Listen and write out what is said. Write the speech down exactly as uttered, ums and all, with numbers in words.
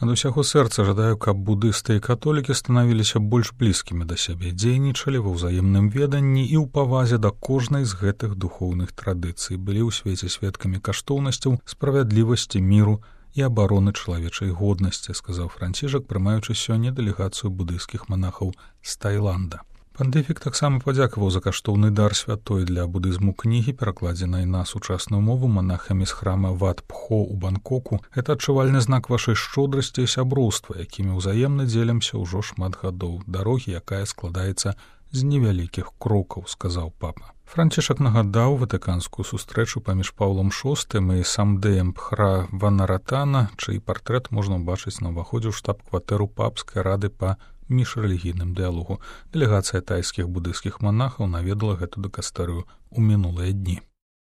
Ад усяго сэрца жадаю, каб будысты і католікі станавіліся больш блізкімі да сябе, дзейнічалі ва ўзаемным веданні і ў павазе да кожнай з гэтых духоўных традыцый, былі ў свеце сведкамі каштоўнасцяў, справядлівасці, міру і абароны чалавечай годнасці, сказаў Францішак, прымаючы сёння дэлегацыю будыйскіх манахаў з Таіланда. Пантыфік таксама падзякаваў за каштоўны дар святой для будызму кнігі, перакладзенай на сучасную мову манахамі з храма Ват-Пхо ў Бангкоку. Гэта адчувальны знак вашай шчодрасці і сяброўства, якімі ўзаемна дзелімся ўжо шмат гадоў, дарогі, якая складаецца з невялікіх крокаў, сказаў папа. Францішак нагадаў ватыканскую сустрэчу паміж Паўлом шостым і Самдэем Пхра Ванаратана, чый партрэт можна ўбачыць на ўваходзе ў штаб-кватэру папскай рады па міжрэлігійным дыялогу. Дэлегацыя тайскіх будыйскіх манахаў наведала гэту дыкастэрыю ў мінулыя дні.